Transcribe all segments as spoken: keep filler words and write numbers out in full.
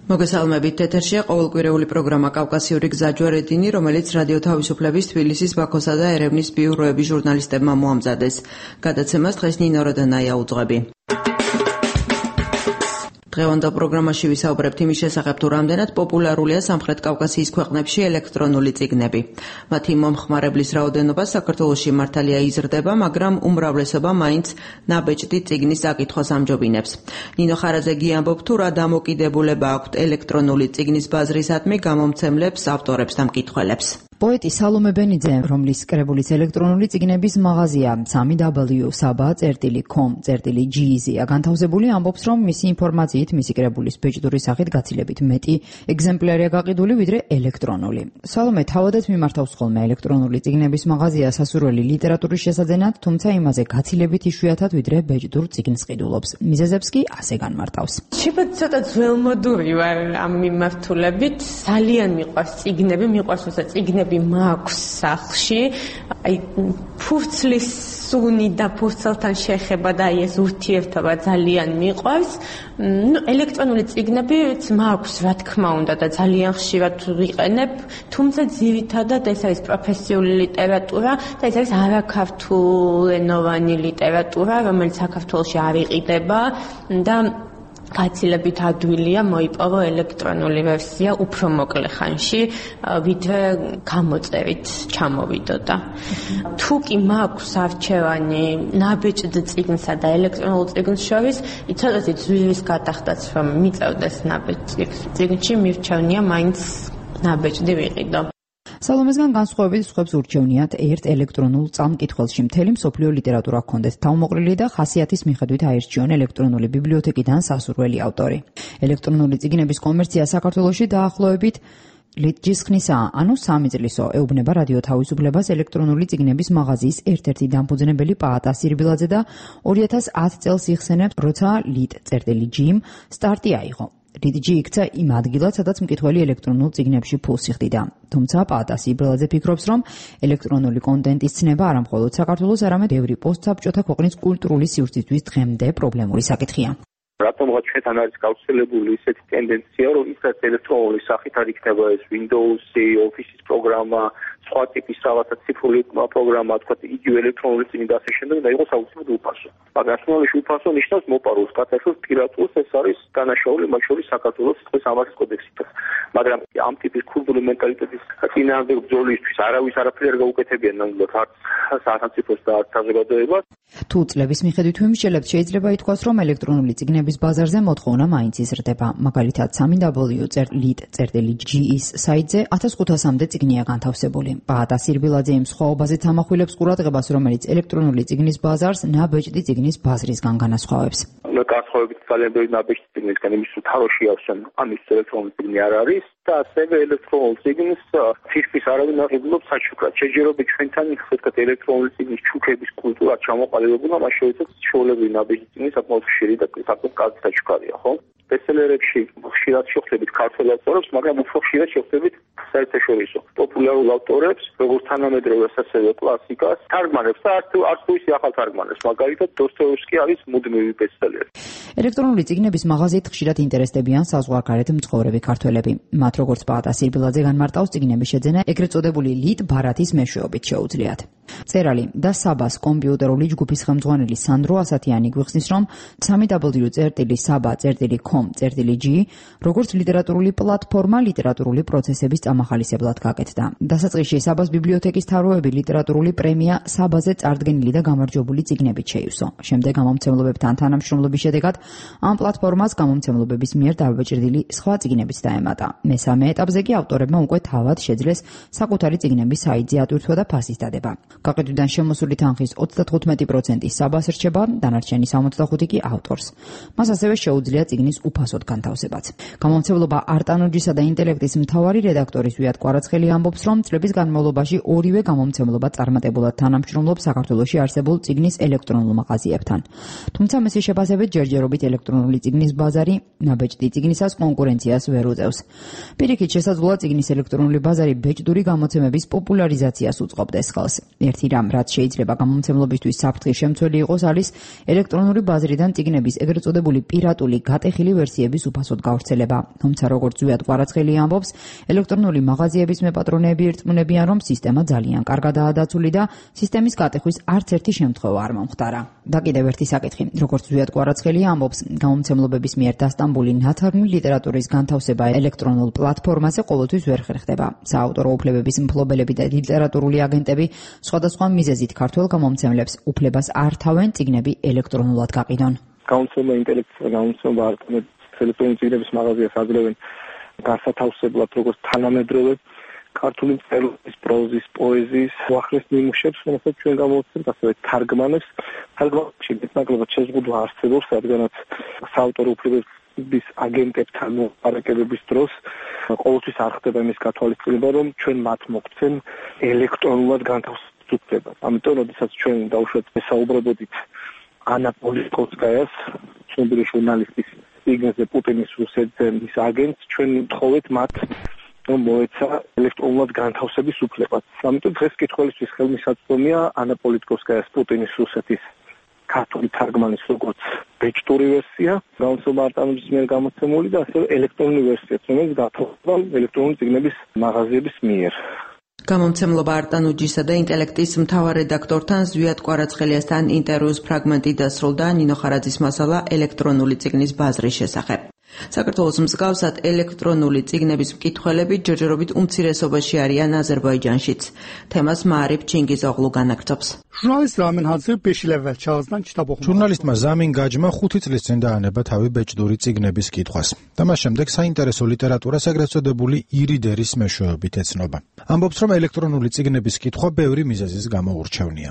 მოგესალმებით, ეთერშია ყოველკვირეული პროგრამა კავკასიური გზაჯვარედინი, რომელიც რადიო თავისუფლების თბილისის, ბაქოსა და ერევნის ბიუროების ჟურნალისტებმა მოამზადეს. გადაცემას დღეს ნინო როდანაია უძღვები. დღევანდელ პროგრამაში ვისაუბრებთ იმის შესახებ, თუ რამდენად პოპულარულია სამხრეთ კავკასიის ქვეყნებში ელექტრონული წიგნები. მათი მომხმარებლის რაოდენობა საქართველოში მართალია იზრდება, მაგრამ უმრავლესობა მაინც ნაბეჭდი წიგნის საკითხოს ამჯობინებს. ნინო ხარაძეგი ამბობს, თუ რა დამოკიდებულება აქვთ ელექტრონული წიგნის ბაზრისადმი გამომცემლებს, ავტორებს და მკითხველებს. პოეტი სალომე ბენიძე, რომლის კრებულის ელექტრონული წიგნების მაღაზია სამი დაბლიუ საბა წერტილი კომ წერტილი ჯი-ია განთავსებული, ამბობს, რომ მისი ინფორმაციით მისი კრებულის ბეჭდური სახით გაცილებით მეტი ეგზემპლარია გაყიდული, ვიდრე ელექტრონული. სალომე თავადაც მიმართავს ხოლმე ელექტრონული წიგნების მაღაზია სასურველი ლიტერატურის შესაძენად, თუმცა იმაზე გაცილებით იშვიათად, ვიდრე ბეჭდურ წიგნს ყიდულობს. მიზეზებს კი ასე განმარტავს. შეიძლება ცოტა ძველმოდური ვარ ამ მიმართულებით, ძალიან მიყვარს წიგნები, მიყვარს თორსა წიგნები მაქვს სახლში, აი ფურცლის სუნი და ფურცელთან შეხება და აი ეს ურთიერთობა ძალიან მიყვარს. ნუ ელექტრონული წიგნებიც მაქვს, რა თქმა უნდა და ძალიან ხშირად ვიყენებ, თუმცა ძირითადად ეს არის პროფესიული ლიტერატურა და ეს არის არაქართულენოვანი ლიტერატურა, რომელიც საქართველოში არ იყიდება და გაცილებით ადვილია მოიპოვო ელექტრონული ვერსია უფრო მოკლე ხანში, ვიდრე გამოწერით ჩამოვიდოდა. თუ კი მაქვს არჩევანი ნაბეჭდ წიგნსა და ელექტრონულ წიგნს შორის, იცოდეთ ძვირის გადახდაც რომ მიწევდეს ნაბეჭდ წიგნში, მირჩევნია მაინც ნაბეჭდი ვიყიდო. სალომესგან განსხვავებით სხვებს ურჩევნიათ ერთ ელექტრონულ წამკითხველში მთელი მსოფლიო ლიტერატურა ჰქონდეთ თავმოყრილი და ხასიათის მიხედვით აირჩიონ ელექტრონული ბიბლიოთეკიდან სასურველი ავტორი. ელექტრონული წიგნების კომერცია საქართველოში დაახლოებით ლიტჯის ხნისაა, ანუ სამი წლისო, ეუბნება რადიო თავისუფლებას ელექტრონული წიგნების მაღაზიის ერთ-ერთი დამფუძნებელი პაატა სირბილაძე და ორი ათას ათ წელს იხსენებს, როცა ლიტ.ჯიმ სტარტი აიღო. ლიტჯი იქცა იმ ადგილად, სადაც მკითხველი ელექტრონულ წიგნებში ფულს იხდიდა. თუმცა პაატა სირბილაძე ფიქრობს, რომ ელექტრონული კონტენტის ცნება არა მხოლოდ საქართველოს, არამედ ბევრი პოსტსაბჭოთა ქვეყნის კულტურული სივრცისთვის დღემდე პრობლემური საკითხია. რატომღაც ჩვენთან არის გავრცელებული ისეთი ტენდენცია, რომ ისაც ელექტრონული სახით არ იქნება ეს Windows-ი, Office-ის პროგრამა, სხვა ტიპის რაღაცა ციფრული პროგრამა, თქვა იგივე ელექტრონული წიგნი და ასე შემდეგ და იყოს აუცილებლად უფასო. მაგრამ основაში უფასო ნიშნავს მოპარულს, კატასტროფის პირატულს, ეს არის დანაშაული მათ შორის საქართველოს სიტყვის სამართლის კოდექსით. მაგრამ ამ ტიპის კულტურული მენტალიტეტის წინააღმდეგ ბრძოლისთვის არავის არაფერი არ გაუკეთებია ნამდვილად არც სახელმწიფოს და არც საზოგადოებას. თუ წლების მიხედვით ვიმსჯელებთ, შეიძლება ითქვას, რომ ელექტრონული წიგნების ბაზარზე მოთხოვნა მაინც იზრდება. მაგალითად, სამი დაბლიუ წერტილი ჯი-ის საიტზე ათას ხუთასამდე წიგნია განთავსებული. პაატა სირბილაძე იმ სხვაობაზეც ამახვილებს ყურადღებას, რომელიც ელექტრონული წიგნის ბაზარს ნაბეჭდი წიგნის ბაზრისგან განასხვავებს. განსხვავებით ძალიან ბევრი ნაბეჭდი წიგნისგან, იმის თუ თაროში ავსენ, ამის ელექტრონული წიგნი არ არის და ასევე ელექტრონულ წიგნს ფირფის არავინ არ იღებობს საჩუქრად. შეჯერობით ჩვენთან ხეთქათ ელექტრონული წიგნის ჩუქების კულტურა ჩამოყალიბებულა, მას შორისაც ჩვეულებრივი ნაბეჭდი წიგნი საკმაოდ ხშირი და საკმაოდ კარგი საჩუქარია, ხო? ბესტსელერებში ხშირად შეხვდებით ქართველ ავტორებს, მაგრამ უფრო ხშირად შეხვდებით საერთაშორისო პოპულარულ ავტორებს, როგორც თანამედროვეს, ასევე კლასიკას, თარგმანებს და არც არც თუ ისე ახალ თარგმანებს, მაგალითად დოსტოევსკი არის მუდმივი ბესტსელერი. ელექტრონული წიგნების მაღაზიით ხშირად ინტერესდებიან საზღვარგარეთ მცხოვრები ქართველები. მათ როგორც პაატა სირბილაძე განმარტავს, წიგნების შეძენა ეგრეთ წოდებული ლიტ ბარათის მეშვეობით შეუძლიათ. წერალი და საბას კომპიუტერული ჯგუფის ხელმძღვანელი სანდრო ასათიანი გვიხსნის, რომ სამი დაბლიუ წერტილი საბა წერტილი კომ წერტილი ჯი როგორც ლიტერატურული პლატფორმა ლიტერატურული პროცესების წამახალისებლად გაკეთდა. დასაწყისში საბას ბიბლიოთეკის თაროები ლიტერატურული პრემია საბაზე წარდგენილი და გამარჯვებული წიგნებით შეივსო. შემდეგ გამომცემლობებთან თანამშრომლობის შედეგად ამ პლატფორმას გამომცემლობების მიერ დაბეჭდილი სხვა წიგნებიც დაემატა. მესამე ეტაპზე კი ავტორებმა უკვე თავად შეძლეს საკუთარი წიგნების საიტზე ატვირთვა და ფასის დადება. გაყიდვიდან შემოსული თანხის ოცდათხუთმეტი პროცენტი საბას რჩება, დანარჩენი სამოცდახუთი კი ავტორს. მას ასევე შეუძლია წიგნის უფასოდ განთავსებაც. გამომცემლობა არტანოჯისა და ინტელექტის მთავარი რედაქტორის ვიად კვარაცხელი ამბობს, რომ წლების განმავლობაში ორივე გამომცემლობა წარმატებულად თანამშრომლობს საქართველოში არსებულ წიგნის ელექტრონულ მაღაზიებთან. თუმცა მისი შეფასებით ჯერჯერობით ელექტრონული წიგნის ბაზარი ნაბეჭდი წიგნისას კონკურენციას ვერ უწევს. პირიქით შესაძლოა წიგნის ელექტრონული ბაზარი ბეჭდური გამოცემების პოპულარიზაციას უწყობდეს ხელს. ერთი რამ, რაც შეიძლება გამომცემლობისთვის საფრთხის შემცველი იყოს, არის ელექტრონული ბაზრიდან წიგნების ეგრეთ წოდებული პირატული გატეხილი ვერსიების უფასოდ გავრცელება. თუმცა როგორც ზვიად კვარაცხელი ამბობს, ელექტრონული მაღაზიების მეპატრონეები ირწმუნებიან, რომ სისტემა ძალიან კარგადაა დაცული და სისტემის გატეხვის არც ერთი შემთხვევა არ მომხდარა. და კიდევ ერთი საკითხი, როგორც ზვიად კვარაცხელი ამბობს, გამომცემლობების მიერ დასტამბული ნათარგმნი ლიტერატურის განთავსება ელექტრონულ პლატფორმაზე ყოველთვის ვერ ხერხდება. საავტორო უფლებების მფლობელები და ლიტერატურული აგენტები სხვადასხვა მიზეზით ქართველ გამომცემლებს უფლებას არ თავენ წიგნები ელექტრონულად გაყიდონ. გამომცემლობა ინტელექტუალურ გამომცემლობა ელექტრონული წიგნების მაღაზიას აძლევენ განსათავსებლად როგორც თანამედროვე ქართული მწერლობის, პროზის, პოეზიის უახლეს ნიმუშებს, რომელსაც ჩვენ გამოვცემთ, ასევე თარგმანებს. თარგმანებში მეტნაკლებად შეზღუდვა არსებობს, რადგანაც საავტორო უფლებების აგენტებთან მოპარაკებების დროს ყოველთვის არ ხდება იმის გათვალისწინება, რომ ჩვენ მათ მოგცემ ელექტრონულად განთავსებულ უფლებას. ამიტომ, როდესაც ჩვენ დაუშვათ ვესაუბრებოდით ანა პოლიტკოვსკაიას, ცნობილი ჟურნალისტის წიგნზე პუტინის რუსეთის აგენტს, ჩვენ ვთხოვეთ მათ რომ მოეცა ელექტრონულად განთავსების უფლებას. ამიტომ დღეს კითხველისთვის ხელმისაწვდომია ანა პოლიტკოვსკაიას პუტინის რუსეთის ქართული თარგმანის როგორც ბეჭდური ვერსია, გამოცემა არტანობის მიერ გამოცემული და ასევე ელექტრონული ვერსიაც, რომელიც გათხოვდება ელექტრონული წიგნების მაღაზიების მიერ. გამომცემლობა არტანუჯისა და ინტელექტის მთავარ რედაქტორთან ზვიად კვარაცხელიასთან ინტერვიუს ფრაგმენტი დასრულდა ნინო ხარაძის მასალა ელექტრონული წიგნის ბაზრის შესახებ. საქართველოს მსგავსად ელექტრონული წიგნების მკითხველები ჯერჯერობით უმცირესობაში არიან აზერბაიჯანშიც. თემას მაარიფ ჩინგიზოღლუ განაგრძობს. ჟურნალისტმა ზამინ გაჯმა ხუთი წლის წინ დაანება თავი ბეჭდური წიგნების კითხვას და მას შემდეგ საინტერესო ლიტერატურას ეგრეთ წოდებული ირიდერის მეშვეობით ეცნობა. ამბობს, რომ ელექტრონული წიგნების კითხვა ბევრი მიზეზის გამო ურჩევნია.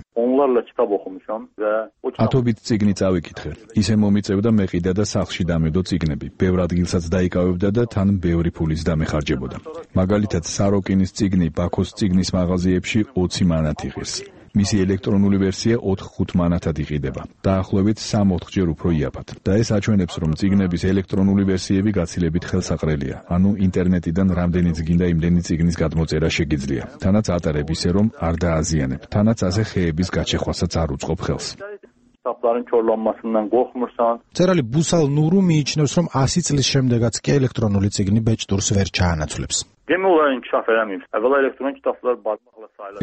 ათობით წიგნი წავიკითხე. ისე მომიწევდა მეყიდა და სახლში დამედო წიგნები. ბევრ ადგილსაც დაიკავებდა და თან ბევრი ფულის დამეხარჯებოდა. მაგალითად, საროკინის წიგნი ბაქოს წიგნის მაღაზიებში ოცი მანათ იღეს. მისი ელექტრონული ვერსია ოთხ-ხუთ მანათად იყიდება. დაახლოებით სამ-ოთხჯერ უფრო იაფად. და ეს აჩვენებს, რომ წიგნების ელექტრონული ვერსიები გაცილებით ხელსაყრელია. ანუ ინტერნეტიდან რამდენიც გინდა იმდენი წიგნის გადმოწერა შეგიძლია. თანაც ატარებ ისე, რომ არ დააზიანებ. თანაც ასე ხეების გაჩეხვასაც არ უწყობ ხელს. მწერალი ბუსალ ნურუ მიიჩნევს, რომ ასი წლის შემდეგაც კი ელექტრონული წიგნი ბეჭდურს ვერ ჩაანაცვლებს.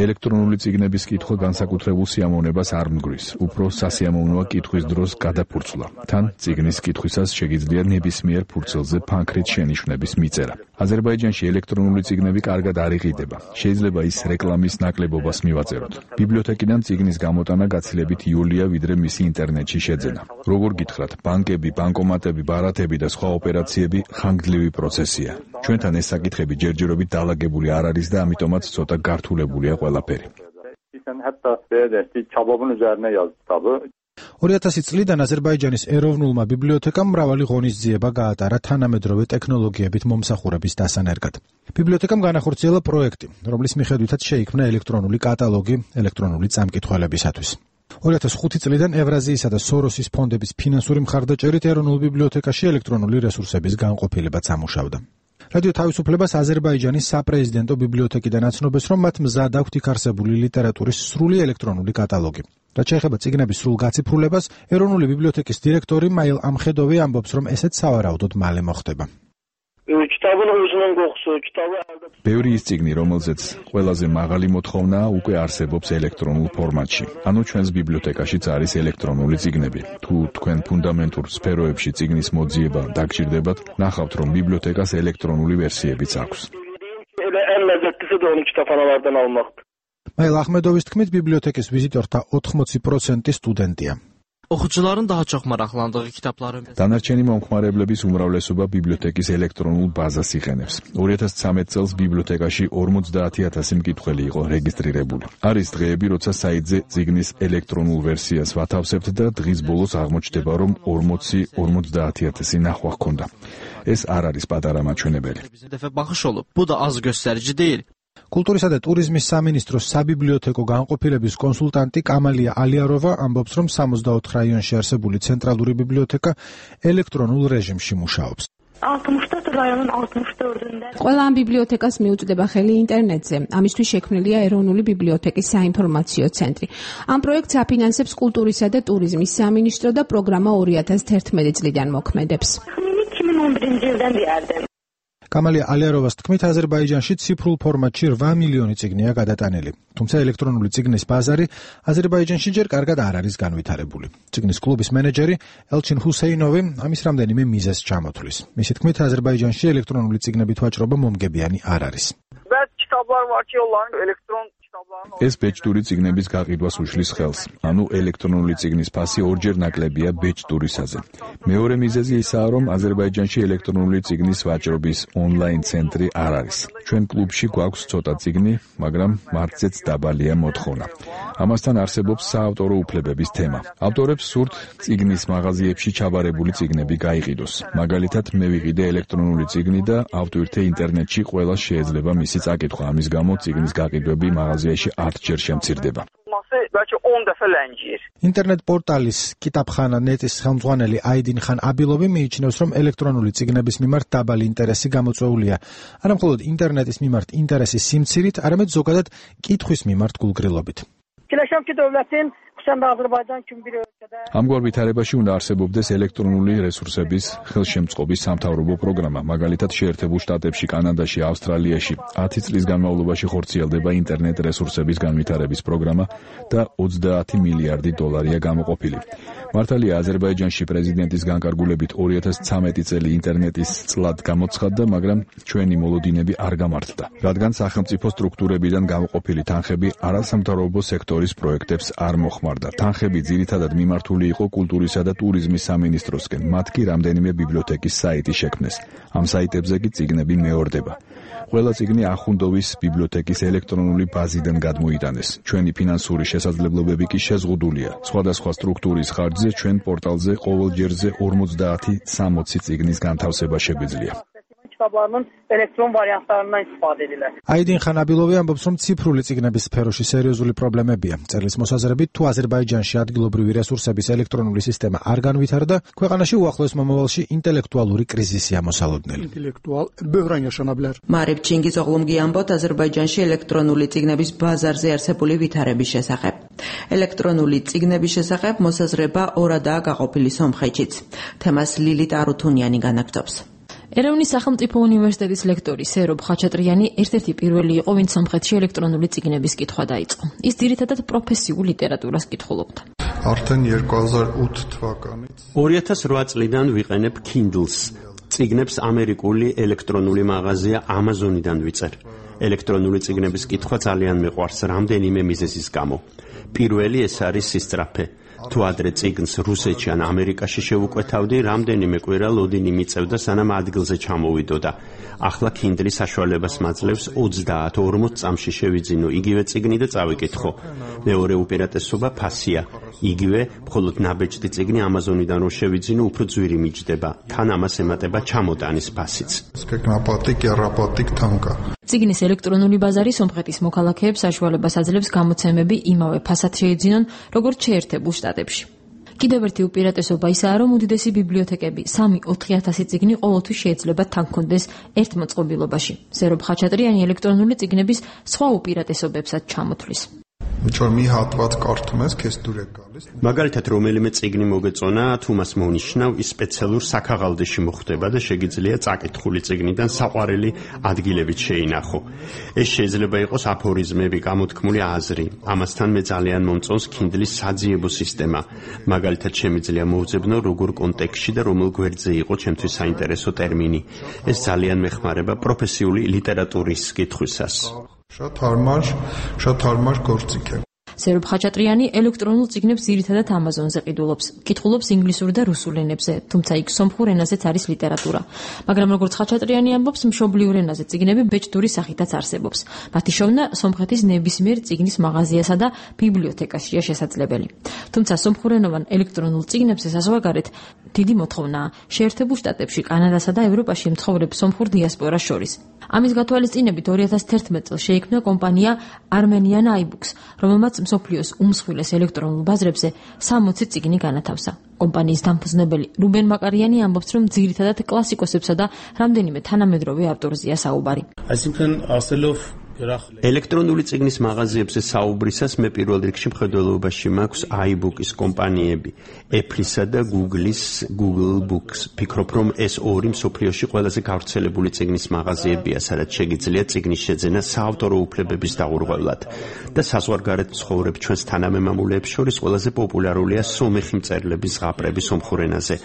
ელექტრონული წიგნების კითხვა განსაკუთრებულ სიამოვნებას არ მგრის. უფრო სასიამოვნოა კითხვის დროს გადაფურცვლა. თან წიგნის კითხვისას შეგიძლია ნებისმიერ ფურცელზე ფანქრით შენიშვნების მიწერა. აზერბაიჯანში ელექტრონული წიგნები კარგად არ იყიდება. შეიძლება ის რეკლამის ნაკლებობას მივაწეროთ. ბიბლიოთეკიდან წიგნის გამოტანა გაცილებით იოლია, ვიდრე მისი ინტერნეტში შეძენა. როგორ გითხრათ, ბანკები, ბანკომატები, ბარათები და სხვა ოპერაციები ხანგრძლივი პროცესია. ჩვენთან ეს საკითხები ჯერჯერობით დაალაგებული არ არის და ამიტომაც ცოტა გართულებულია ყველაფერი. ორი ათასი წლიდან აზერბაიჯანის ეროვნულმა ბიბლიოთეკამ მრავალი ღონისძიება გაატარა თანამედროვე ტექნოლოგიებით მომსახურების დასანერგად. ბიბლიოთეკამ განახორციელა პროექტი, რომლის მიხედვითაც შეიქმნა ელექტრონული კატალოგი ელექტრონული წამკითხველებისათვის. ორი ათას ხუთი წლიდან ევრაზიისა და სოროსის ფონდების ფინანსური მხარდაჭერით ეროვნულ ბიბლიოთეკაში ელექტრონული რესურსების განყოფილებაც ამუშავდა. რადიო თავისუფლებას აზერბაიჯანის საპრეზიდენტო ბიბლიოთეკიდან აცნობს, რომ მათ მზად აქვთ იქ არსებული ლიტერატურის სრული ელექტრონული კატალოგი. რაც შეეხება წიგნების სრულ გაციფრულებას, ეროვნული ბიბლიოთეკის დირექტორი მაილ ამხედოვი ამბობს, რომ ესეც სავარაუდოდ მალე მოხდება. ბევრი ის წიგნი, რომელზეც ყველაზე მაღალი მოთხოვნაა, უკვე არსებობს ელექტრონულ ფორმატში. ანუ ჩვენს ბიბლიოთეკაშიც არის ელექტრონული წიგნები. თუ თქვენ ფუნდამენტურ სფეროებში წიგნის მოძიება დაგჭირდებათ, ნახავთ, რომ ბიბლიოთეკას ელექტრონული ვერსიებიც აქვს. მაილ ახმედოვის თქმით, ბიბლიოთეკის ვიზიტორთა ოთხმოცი პროცენტი სტუდენტია. Oxucuların daha çox maraqlandığı kitabları. Დანარჩენი მომხმარებლების უმრავლესობა ბიბლიოთეკის ელექტრონულ ბაზას იყენებს. ორი ათას ცხრამეტ წელს ბიბლიოთეკაში ორმოცდაათი ათასი მკითხველი იყო რეგისტრირებული. არის დღეები, როცა საიტზე წიგნის ელექტრონულ ვერსიას ვათავსებთ და დღის ბოლოს აღმოჩნდება, რომ ორმოცი ორმოცდაათი ათასი ნახვა ჰქონდა. ეს არ არის პატარა მაჩვენებელი. Baxış olub. Bu da az göstərici deyil. კულტურისა და ტურიზმის სამინისტროს საბიბლიოთეკო განყოფილების კონსულტანტი კამალია ალიაროვა ამბობს, რომ სამოცდაოთხ რაიონში არსებული ცენტრალური ბიბლიოთეკა ელექტრონულ რეჟიმში მუშაობს. алтымыш რაიონის алтымыш төртінде. ყველა ამ ბიბლიოთეკას მიუწვდება ხელი ინტერნეტზე. ამისთვის შექმნილია ეროვნული ბიბლიოთეკის საინფორმაციო ცენტრი. ამ პროექტს აფინანსებს კულტურისა და ტურიზმის სამინისტრო და პროგრამა ორი ათას თერთმეტი წლიდან მოქმედებს. ikki ming o'n birinchi yildan beri. კამალი ალიაროვას თქმით, აზერბაიჯანში ციფრულ ფორმატში რვა მილიონი წიგნია გადატანილი. თუმცა ელექტრონული წიგნის ბაზარი აზერბაიჯანში ჯერ კარგად არ არის განვითარებული. წიგნის კლუბის მენეჯერი ელჩინ ჰუსეინოვი ამის რამდენიმე მიზეზს ჩამოთვლის. მისი თქმით, აზერბაიჯანში ელექტრონული წიგნებით ვაჭრობა მომგებიანი არ არის. ეს ბეჭდური წიგნების გაყიდვას უშლის ხელს. ანუ ელექტრონული წიგნის ფასი ორჯერ ნაკლებია ბეჭდურისაზე. მეორე მიზეზი ისაა, რომ აზერბაიჯანში ელექტრონული წიგნის ვაჭრობის ონლაინ ცენტრი არ არის. ჩვენ კლუბში გვაქვს ცოტა წიგნი, მაგრამ მართზეც დაბალია მოთხოვნა. ამასთან არსებობს საავტორო უფლებების თემა. ავტორებს სურთ წიგნის მაღაზიებში ჩაბარებული წიგნები გაიყიდოს. მაგალითად, მე ვიყიდე ელექტრონული წიგნი და ავტვირთე ინტერნეტში ყველას შეიძლება მისი წაკითხვა. ამის გამო წიგნის გაყიდვები მაღაზიაში ათჯერ შემცირდება. ინტერნეტ პორტალის კიტაბხანა ნეტის ხელმძღვანელი აიდინ ხან აბილოვი მიიჩნევს, რომ ელექტრონული წიგნების მიმართ დაბალი ინტერესი გამოწვეულია. არა მხოლოდ ინტერნეტის მიმართ ინტერესის სიმცირით, არამედ ზოგადად კითხვის მიმართ გულგრილობით. ამგვარ ვითარებაში უნდა არსებობდეს ელექტრონული რესურსების ხელშემწყობის სამთავრობო პროგრამა. მაგალითად, შეერთებულ შტატებში, კანადაში, ავსტრალიაში ათი წლის განმავლობაში ხორციელდება ინტერნეტ რესურსების განვითარების პროგრამა და ოცდაათი მილიარდი დოლარია გამოყოფილი. მართალია, აზერბაიჯანში პრეზიდენტის განკარგულებით ორი ათას ცამეტი წელი ინტერნეტის წლად გამოცხადდა, მაგრამ ჩვენი მოლოდინები არ გამართდა, რადგან სახელმწიფო სტრუქტურებიდან გამოყოფილი თანხები არასამთავრობო სექტორის პროექტებს არ მოხმარდა. თანხები ძირითადად მიმართული იყო კულტურისა და ტურიზმის სამინისტროსკენ. მათ კი რამდენიმე ბიბლიოთეკის საიტი შექმნეს. ამ საიტებზე კი წიგნები მეორდება. ყველა წიგნი ახუნდოვის ბიბლიოთეკის ელექტრონული ბაზიდან გადმოიტანეს. ჩვენი ფინანსური შესაძლებლობები კი შეზღუდულია. სხვადასხვა სტრუქტურის ხარჯზე ჩვენ პორტალზე ყოველ ჯერზე ორმოცდაათი სამოცი წიგნის განთავსება შეგვიძლია. ელექტრონ ვარიანტებიდან ისწავლე edilir. აიდინ ხან აბილოვი ამბობს, რომ ციფრული წიგნების სფეროში სერიოზული პრობლემებია. წერლის მოსაზრებით, თუ აზერბაიჯანში ადგილობრივი რესურსების ელექტრონული სისტემა არ განვითარდა, ქვეყანაში უახლოეს მომავალში ინტელექტუალური კრიზისი ამოსალოდნელი. ინტელექტუალ ბევრან yaşanabilir. მარიბ ჩინგიზოღლუმგი ამბობთ აზერბაიჯანში ელექტრონული წიგნების ბაზარზე არსებული ვითარების შესახებ. ელექტრონული წიგნების შესახებ მოსაზრება ორადაა გაყოფილი სომხეთშიც. თემას ლილიტ არუთუნიანი განაგრძობს. ერევნის სახელმწიფო უნივერსიტეტის ლექტორი სერობ ხაჩატრიანი ერთ-ერთი პირველი იყო, ვინც სომხეთში ელექტრონული წიგნების კითხვა დაიწყო. ის ძირითადად პროფესიულ ლიტერატურას კითხულობდა. Արդեն երկու հազար ութ թվականից ორი ათას რვა წლიდან ვიყენებ Kindles. წიგნებს ამერიკული ელექტრონული მაღაზია Amazon-იდან ვიწერ. ელექტრონული წიგნების კითხვა ძალიან მეყვარს რამდენიმე მიზეზის გამო. პირველი ეს არის სისწრაფე. თუ ადრე წიგნს რუსეთში ან ამერიკაში შევუკვეთავდი, რამდენიმე კვირა ლოდინი მიწევდა, სანამ ადგილზე ჩამოვიდოდა. ახლა Kindle საშუალებას მაძლევს ოცდაათ ორმოც წამში შევიძინო იგივე წიგნი და წავიკითხო. მეორე უპირატესობა ფასია. იგივე, მხოლოდ ნაბეჭდი წიგნი Amazon-იდან რო შევიძინო, უფრო ძვირი მიჯდება. თან ამას ემატება ჩამოტანის ფასიც. წიგნის ელექტრონული ბაზარი სომხეთის მოქალაქეებს საშუალებას აძლევს გამოცემები იმავე ფასად შეიძინონ, როგორც შეერთებულ შტატებში. კიდევ ერთი უპირატესობა ისაა, რომ უდიდესი ბიბლიოთეკები სამი ოთხი ათასი წიგნი ყოველთვის შეიძლება თან კონდეს ერთ მოწყობილობაში. სერობ ხაჩატრიანი ელექტრონული წიგნების სხვა უპირატესობებსაც ჩამოთვლის. მაგალითად, რომელიმე წიგნი მოგეწონა, თუ მას მონიშნავ, ის სპეციალურ საქაღალდეში მოხვდება და შეგიძლია წაკითხული წიგნიდან საყვარელი ადგილებით შეინახო. ეს შეიძლება იყოს აფორიზმები, გამოთქმული აზრი. ამასთან მე ძალიან მომწონს Kindle-ის საძიებო სისტემა. მაგალითად, შემიძლია მოვძებნო, როგორ კონტექსტში და რომელ გვერდზე იყო ჩემთვის საინტერესო ტერმინი. ეს ძალიან მეხმარება პროფესიული ლიტერატურის კითხვისას. Շատ հարմար, շատ հարմար գործիք է. სერობ ხაჩატრიანი ელექტრონულ წიგნებს ძირითადად Amazon-ზე ყიდულობს. კითხულობს ინგლისურ და რუსულ ენებზე, თუმცა იქ სომხურ ენაზეც არის ლიტერატურა. მაგრამ როგორც ხაჩატრიანი ამბობს, მშობლიურ ენაზე წიგნები ბეჭდური სახითაც არსებობს. მათი შოვნა სომხეთის ნებისმიერ წიგნის მაღაზიასა და ბიბლიოთეკაშია შესაძლებელი. თუმცა სომხურენოვან ელექტრონულ წიგნებზე საზღვარგარეთ დიდი მოთხოვნაა. შეერთებულ შტატებში, კანადასა და ევროპაში მცხოვრებ სომხურ დიასპორას შორის. ამის გათვალისწინებით ორი ათას თერთმეტ წელს შეიქმნა კომპანია Armenian iBooks, რომელმაც მსოფლიოს უმსხვილეს ელექტრონულ ბაზრებზე სამოცი წიგნი განათავსა. კომპანიის დამფუძნებელი რუბენ მაკარიანი ამბობს, რომ ძირითადად კლასიკოსებსა და რამდენიმე თანამედროვე ავტორზეა საუბარი. ელექტრონული წიგნის მაღაზიებზე საუბრისას მე პირველ რიგში მხედველობაში მაქვს iBooks კომპანიები, Apple-ისა და Google-ის Google Books. ფიქრობ, რომ ეს ორი მსოფლიოში ყველაზე გავრცელებული წიგნის მაღაზიებია, სადაც შეგიძლიათ წიგნის შეძენა საავტორო უფლებების დაურღვევლად. და საზღვარგარეთ მცხოვრებ ჩვენს თანამემამულეებს შორის ყველაზე პოპულარულია სომეხი მწერლების ზღაპრები სომხურ ენაზე.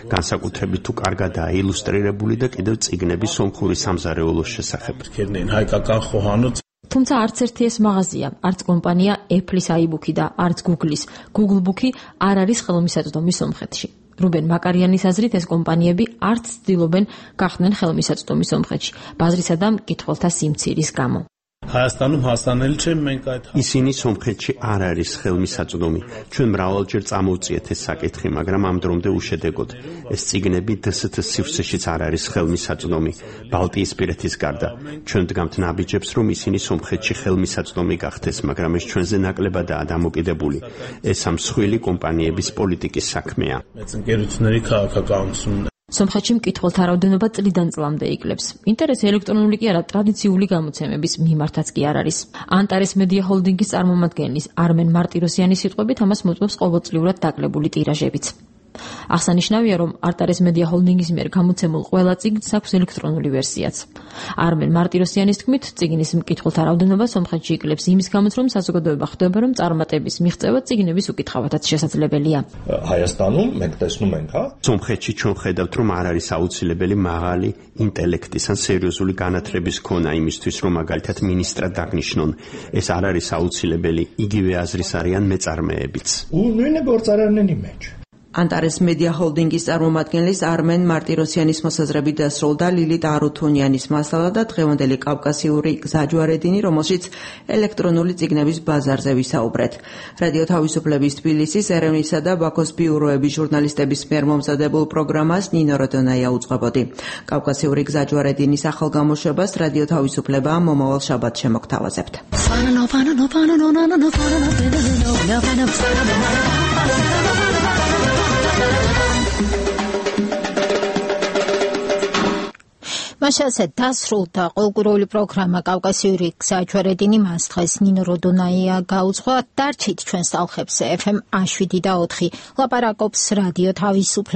განსაკუთრებით თუ კარგადაა ილუსტრირებული და კიდევ წიგნები სომხური სამზარეულოს შესახებ. თუმცა არც ერთი ეს მაღაზია, არც კომპანია Apple-ის iBook-ი და არც Google-ის Google Book-ი არ არის ხელმისაწვდომი სომხეთში. რუბენ მაკარიანის აზრით ეს კომპანიები არც ცდილობენ გახდნენ ხელმისაწვდომი სომხეთში, ბაზრისა და მკითხველთა სიმცირის გამო. ისინი სომხეთში არ არის ხელმისაწვდომი. ჩვენ მრავალჯერ წამოვწიეთ ეს საკითხი, მაგრამ ამ დრომდე უშედეგოდ. ეს წიგნები დე ეს თე სივრცეშიც არ არის ხელმისაწვდომი. ბალტიისპირეთის გარდა. ჩვენ დგამთ ნაბიჯებს, რომ ისინი სომხეთში ხელმისაწვდომი გახდეს, მაგრამ ეს ჩვენზე ნაკლებადაა დამოკიდებული. ეს ამ მსხვილი კომპანიების პოლიტიკის საქმეა. სომხეთში მკითხველთა რაოდენობა წლიდან წლამდე იკლებს. ინტერესი ელექტრონული კი არა, ტრადიციული გამოცემების მიმართაც კი არ არის. ანტარეს მედია ჰოლდინგის წარმომადგენლის არმენ მარტიროსიანის სიტყვებით ამას მოწმობს ყოველწლიურად დაკლებული ტირაჟებიც. აღსანიშნავია, რომ არტარეს მედია ჰოლდინგის მიერ გამოცემულ ყველა წიგნს აქვს ელექტრონული ვერსიაც. არმენ მარტიროსიანის თქმით, წიგნის მკითხველთა რაოდენობა სომხეთში იკლებს იმის გამოც, რომ საზოგადოება ხვდება, რომ წარმატების მიღწევა წიგნების უკითხავათაც შესაძლებელია. სომხეთში ჩვენ ხედავთ, რომ არ არის აუცილებელი მაღალი ინტელექტის ან სერიოზული განათლების ქონა იმისთვის, რომ მაგალითად მინისტრად დაგნიშნონ. ეს არ არის აუცილებელი, იგივე აზრის არიან მეწარმეებიც. ანტარეს მედია ჰოლდინგის წარმომადგენლის არმენ მარტიროსიანის მოსაზრებით დასრულდა ლილიტ არუთუნიანის მასალა და დღევანდელი კავკასიური გზაჯვარედინი, რომელშიც ელექტრონული წიგნების ბაზარზე ვისაუბრეთ. რადიო თავისუფლების თბილისის, ერევნისა და ბაქოს ბიუროების ჟურნალისტების მიერ მომზადებულ პროგრამას ნინო როდონაია უძღვებოდი. კავკასიური გზაჯვარედინის ახალ გამოშვებას რადიო თავისუფლება მომავალ შაბათს შემოგთავაზებთ. მაშასე დასრულდა ყოველკვირეული პროგრამა კავკასიური გზაჯვარედინი. მას დღეს ნინო როდონაია გაუძღვა. დარჩით ჩვენს ტალხებზე ეფ ემ შვიდ და ოთხი. ლაპარაკობს რადიო თავისუფლება.